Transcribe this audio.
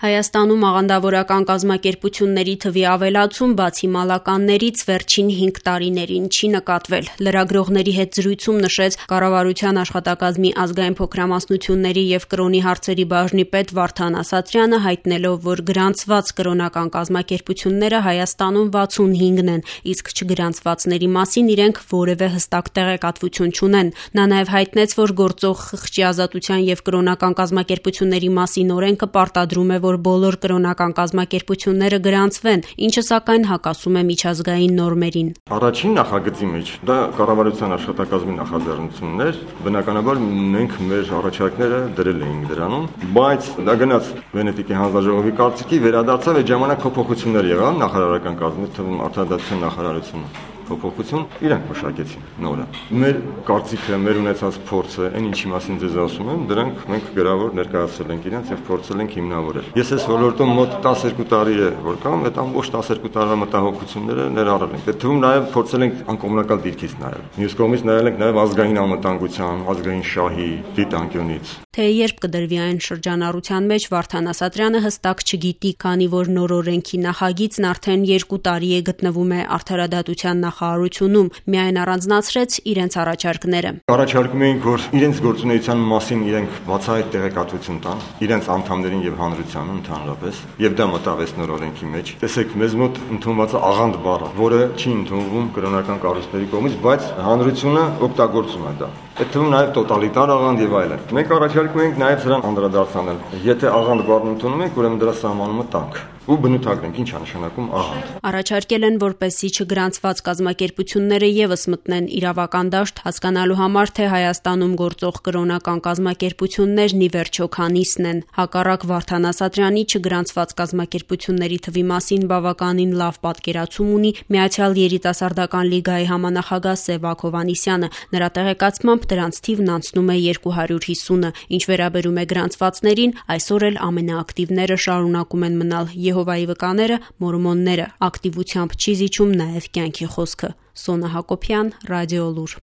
Հայաստանում աղանդավորական կազմակերպությունների թվի ավելացում բացի մալականներից վերջին 5 տարիներին չի նկատվել։ Լրագրողների հետ զրույցում նշեց կառավարության աշխատակազմի ազգային փոքրամասնությունների եւ կրոնի հարցերի բաժնի պետ Վարդան Ասատրյանը, հայտնելով, որ գրանցված կրոնական կազմակերպությունները Հայաստանում 65-ն են, իսկ չգրանցվածների մասին իրենք որևէ հստակ տեղեկատվություն չունեն։ Նա նաեւ հայտնեց, որ գործող խղճի ազատության եւ կրոնական կազմակերպությունների մասին օրենքը պարտադրում է, որ բոլոր կրոնական կազմակերպությունները գրանցվեն, ինչը սակայն հակասում է միջազգային նորմերին։ Առաջին նախագծի մեջ դա կառավարության աշխատակազմի նախաձեռնությունն էր, բնականաբար մենք մեր առաջարկները դրել էինք դրանում, բայց դա գնաց Վենետիկի հանձնաժողովի կարծիքի, վերադարձավ, այդ ժամանակ փոփոխություններ եղան նախարարական կազմի թվում արդարադատության նախարարությունը փոփոխություն իրենք մշակեցին նորը։ Մեր կարծիքը, մեր ունեցած փորձը, այն ինչի մասին ձեզ ասում եմ, դրանք մենք գրավոր ներկայացրել ենք իրենց եւ փորձել ենք հիմնավորել։ Ես այս ոլորտում մոտ 12 տարի է որ կամ, այդ ամբողջ 12 տարվա մտահոգությունները ներառել ենք։ Այդ թվում նաեւ փորձել ենք անկոմունալ դիրքից նայել։ Մյուս կողմից նայել ենք նաեւ ազգային անվտանգության, ազգային շահի դիտանկյունից։ Թե երբ կդրվի այն շրջանառության մեջ, Վարդան Ասատրյանը հստակ չգիտի, քանի որ նոր օրենքի նախագիծն արդեն 2 տարի է գտնվում է արդարադատության նախարարությունում, միայն առանձնացրեց իրենց առաջարկները։ Առաջարկում էինք, որ իրենց գործունեության մասին իրենք բացահայտ տեղեկատվություն տան, իրենց անդամներին եւ հանրությանն ընդհանրապես, եւ դա մտավեց նոր օրենքի մեջ։ Տեսեք, մեզ մոտ ընդունված է աղանդ բառը, որը չի ընդունվում կրոնական կառույցների կողմից, բայց հանրությունը օգտագործում է դա։ Այդ թվում նաեւ տոտալիտար աղանդ եւ այլն։ Մենք առաջարկում ենք նաեւ սրան անդրադարձնել։ Եթե աղանդ բառն ընդունում եք, ուրեմն դրա սահմանումը տանք ու բնութագրենք ինչ է նշանակում աղանդ։ Առաջարկել են, որպեսզի չգրանցված կազմակերպությունները եւս մտնեն իրավական դաշտ, հասկանալու համար, թե Հայաստանում գործող կրոնական կազմակերպություններն ի վերջո քանիսն են։ Հակառակ Վարդան Ասատրյանի չգրանցված կազմակերպությունների թվի մասին բավականին լավ պատկերացում ունի Միացյալ երիտասարդական լիգայի համանախագահ Սևակ Հովհաննիսյանը։ Նրա տեղեկացմամբ դրանց թիվն անցնում է 250-ը։ Ինչ վերաբերում է գրանցվածներին, այսօր էլ ամենաակտիվները շարունակում են մնալ Եհովայի վկաները, մորմոնները։ Ակտիվությամբ չի զիջում նաև կյանքի խոսքը։ Սոնա Հակոբյան, Ռադիոլուր։